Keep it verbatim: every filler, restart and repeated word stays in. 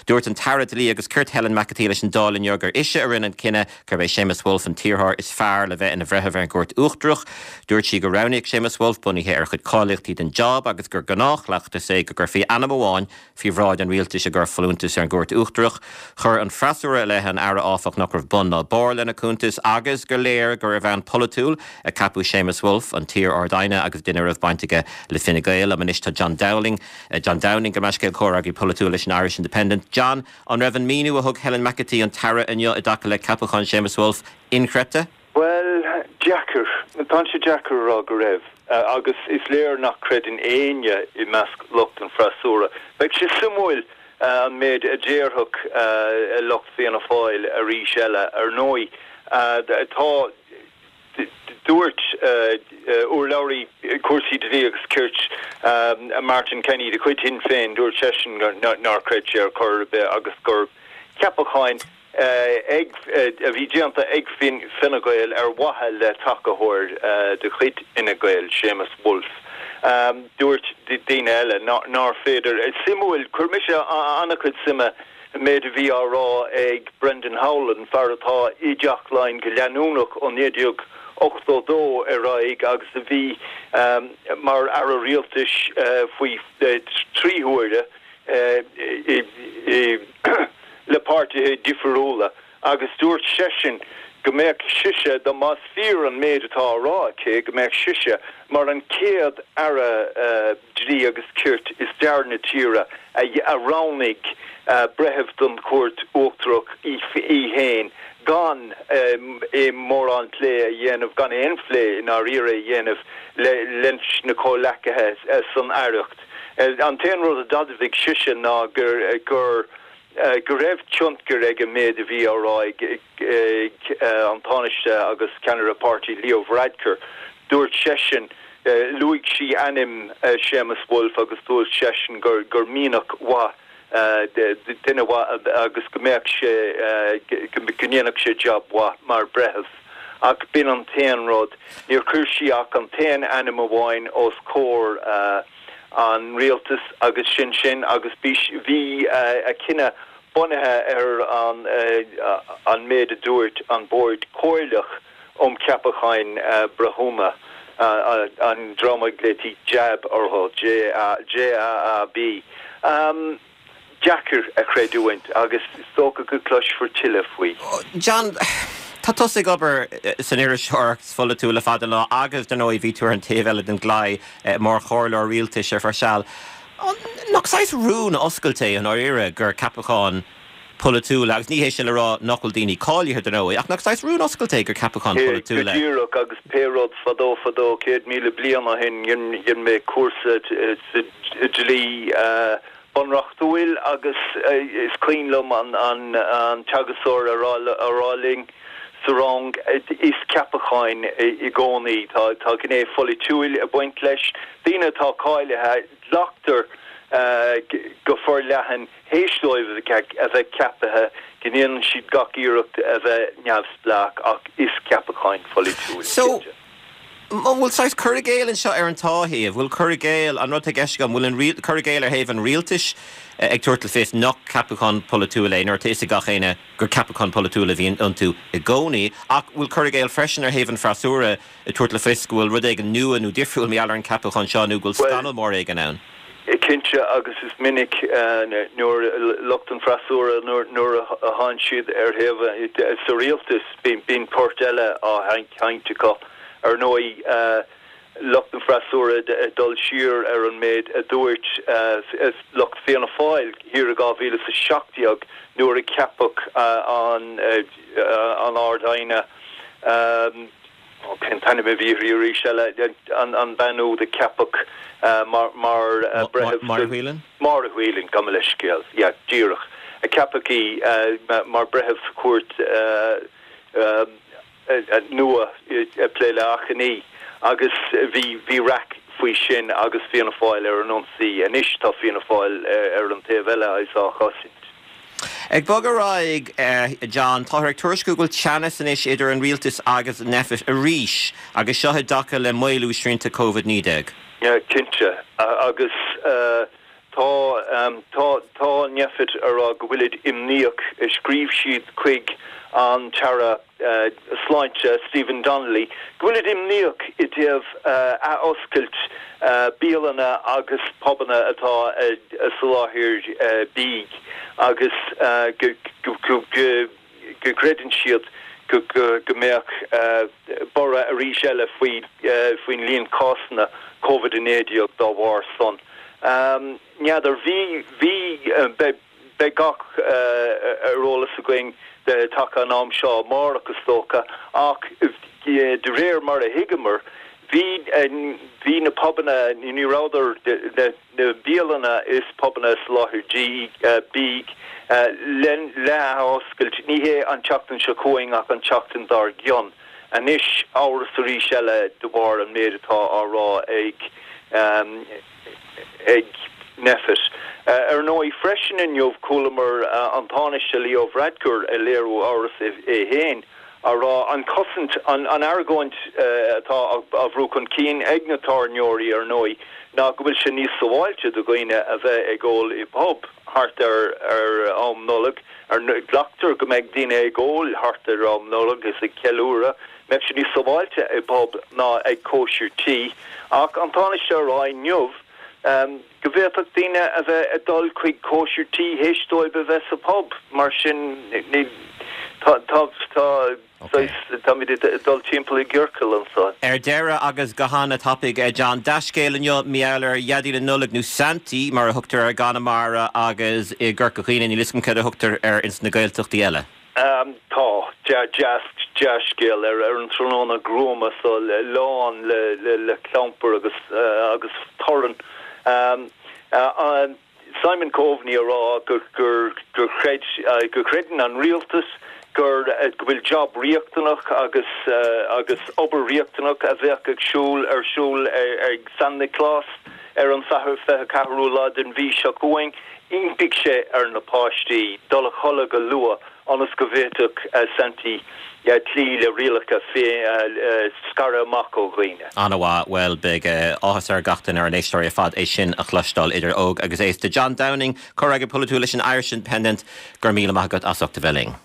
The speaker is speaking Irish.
Dúirt an tAire Dlí agus Cirt Helen McEntee leis an Dáil inniu gur ise a rinne an cinneadh gurb é Séamus Woulfe an t-iarrthóir is fearr le bheith ina bhreitheamh ar an gCúirt Uachtarach. Dúirt sí gur roghnaíodh Séamus Woulfe bunaithe ar a chuid cáilíochtaí don job agus gur gnáthchleachtas é go gcuirfí ainm amháin faoi bhráid an rialtais i gcomhair folúntas ar an gCúirt Uachtarach. Chuir an freasúra i leith an Aire áfach nach raibh bun ná barr lena cuntas agus gur léir gur ar bhonn polaitiúil a ceapadh Séamus Woulfe an t-iar-Ard-Aighne agus duine a raibh baint aige le Fine Gael am anois tá John Dowling eh, John Downing go meiscéil comhfhreagraí polaitiúil leis an Irish Independent. John an raibh an míniú a thug Helen McEntee an tAire inniu i dtaca le ceapachán Séamus Woulfe inchreidte? Well, deacair tá sé deacair rá go raibh uh, agus is léir nach gcreideann éinne i measc lucht an freasúra. Beidh sé suimiúil uh, an méid a déarfadh uh, lucht Fianna Fáil arís eile ar ndóigh uh, tá dúirt uh, uh, urlabhraí cúrsaí dlí agus cirt um, Martin Kenny de chuid Shinn Féin dúirt seisean nár chreid sé ar chor ar bith agus gur ceapachán uh, ag a bhí déanta ag Fine Gael ar mhaithe le tacadóir uh, de chuid Fhine Gael Séamus Woulfe. Um, dúirt daoine eile nár féidir suimiúil chuir mise an-chuid suime méid a bhí á rá ag Brendan Howlin fear atá i dTeach Laighean go leanúnach ó naoi déag ochtó dó ar aghaidh agus a bhí um, mar aire rialtais uh, faoi uh, trí huaire uh, le páirtithe difriúla agus dúirt seisean go mbeadh sise dá más fíor an méid atá á rá aici go mbeadh sise mar an chéad aire uh, dlí agus cirt i stair na tíre a, a roghnaigh uh, breitheamh don Chúirt Uachtarach í, í féin gan um, é mórán plé a dhéanamh gan aon phlé in áirithe a dhéanamh le leis na comhghleacaithe uh, san aireacht. Uh, an t-aon rud a d'admhaigh sise ná gur gur uh, go raibh tionchar ag an méid a bhí á rá ag uh, an Tánaiste agus ceannaire páirtí Leo Varadkar. Dúirt seisean uh, luaigh sí ainm uh, Séamus Woulfe agus dúirt seisean gur gur mianach mhaith uh, duine mhaith agus go mbeadh sé uh, go ndéanfadh sé job mhaith mar breitheamh. Ach b'in an t-aon rud níor chuir sí ach an t-aon ainm amháin os comhair uh, an rialtas agus sin sin agus bhí uh, a cinneadh bunaithe ar an uh, an méid a dúirt an Bord Comhairleach um Cheapacháin uh, Breithiúna uh, an dream a nglaoití JAB orthu J A B. Um, deacair a chreidiúint agus is dócha go gcloisfear tuilleadh faoi. John Tá tusa ag obair san iriseoireacht pholaitiúil le fada lá agus dar ndóigh bhí tú ar an taobh eile den gclaí mar chomhairleoir rialtais ar feadh seal. Nach saghas rún oscailte an áire gur ceapachán polaitiúil agus ní hé sin le rá nach bhfuil daoine cáilithe dar ndóigh ach nach saghas rún oscailte gur ceapachán polaitiúil. Díreach agus pé rud fadó fadó céad míle bliain ó shin dhein mé cúrsa dlí bunreachtúil agus is cuimhin liom an an an teagascóir a rá linn sa rang is ceapacháin i gcónaí tá tá gné pholaitiúil ag baint leis daoine atá cáilithe glactar uh, go forleathan théis dóibh a bheith ceaptha go ndéanann siad gach iarracht a bheith neamhspleách ach is ceapacháin pholaitiúil. So bhfuil saghas cur i gcéill anseo ar an dá thaobh, bhfuil cur i gcéill an rud gceist go bhfuil an cur i gcéill ar thaobh an rialtais ag tabhairt le fios nach ceapachán polaitiúil é nuair atá a fhios ag gach éinne gur ceapachán polaitiúil a bhíonn iontu i gcónaí, ach bhfuil cur i gcéill freisin ar thaobh an fhreasúra ag tabhairt le fios go bhfuil rud éigin nua nó difriúil mar gheall ar an gceapachán seo nó go bhfuil scannal mór éigin ann. Cinnte agus is minic nuair lucht an freasúra nuair a théann siad ar thaobh sa rialtas bíonn port eile á sheinnt acu ar ndóigh lucht an freasúra dul siar ar an méid a dúirt lucht Fianna Fáil thiar i dhá mhíle sa seacht déag nuair a ceapadh an an Ard-Aighne cén t-ainm a bhí arís eile an an bhean úd a ceapadh mar mar breitheamh Máire Whelan? Máire Whelan gabh mo leithscéal yeah díreach a ceapadh í mar breitheamh cúirt nua plé le achainí agus bhí bhí raic faoi sin agus Fianna Fáil ar an ionsaí anois tá Fianna Fáil ar an taobh eile is á chosaint. Ag bogadh ar aghaidh John táthar ag tuairisciú go bhfuil teannas anois idir an rialtas agus Nphet arís agus seo i dtaca le maolú srianta Covid naoi déag. Yeah, cinnte agus uh, Tá tá tá Nphet a rá go bhfuilid imníoch scríobh siad chuig an tAire Sláinte Stephen Donnelly, go bhfuilid imníoch i dtaobh athoscailt bialanna agus pubanna atá ag soláthar bídh agus go gcreideann siad go go mbeadh borradh arís eile faoi faoin líon cásanna Covid a naoi déag dá bharr san. N'fheadar bhí bhí beidh gach ar eolas againn de taca an am seo amárach is dócha ach de réir mar a thuigeamar bhí bhí na pubanna ní rabhadar na bialanna is pubanna soláthar bídh le le hoscailt ní hé an tseachtain seo chugainn ach an tseachtain dár gcionn. Anois amhras arís eile de bharr an méid atá á rá ag ag Nphet. Ar ndóigh freisin inniu chualamar an Tánaiste Leo Varadkar ag léiriú amhras é féin á rá an chosaint an an argóint atá á bhrú chun cinn ag na tábhairneoirí ar ndóigh ná go bhfuil sé níos sábháilte do dhaoine a bheith ag ól i bpub thart ar ar am Nollag ar glactar go mbeidh daoine ag ól thart ar am Nollag is ag ceiliúradh mbeadh sé níos sábháilte i bpub ná ag cóisir tí ach an Tánaiste a rá inniu go bhféadfadh daoine a bheith ag dul chuig cóisir tí théis dóibh a bheith sa pub mar sin ní tá tá tá táimid ag dul timpeall i gciorcal anseo. Ar deireadh agus go han-tapaidh John Dea-scéal inniu mar gheall ar Dhaidí na Nollag nó Santaí mar a thugtar ar i gConamara agus i gCorca Dhuibhne níl a fhios agam cad a thugtar air ins na Gaeltachtaí eile. Um, tá dea-scéal ar ar an tráthnóna gruama so lán le le le clampar agus uh, agus torann. Um, uh, Simon Coveney a rá gur gur gur chreid uh, gur chreideann an rialtas gur uh, go bhfuil job riachtanach agus uh, agus obair riachtanach a bheith ag siúl ar siúl ag San Nioclás ar an Satharn fiche ceathrú lá den mhí seo chugainn, d'impigh sé ar na páistí dul a chodladh go luath ionas go bhféadfadh uh, Santaí uh, cloí le rialacha fé uh, scaradh amach ó dhaoine. An-mhaith well beidh áthas ar gach duine ar an éisteoirí ar fad é sin a chloisteáil idir óg agus aosta. John Downing, comhfhreagraí polaitiúil leis an Irish Independent gur míle maith agat as ucht a bheith linn.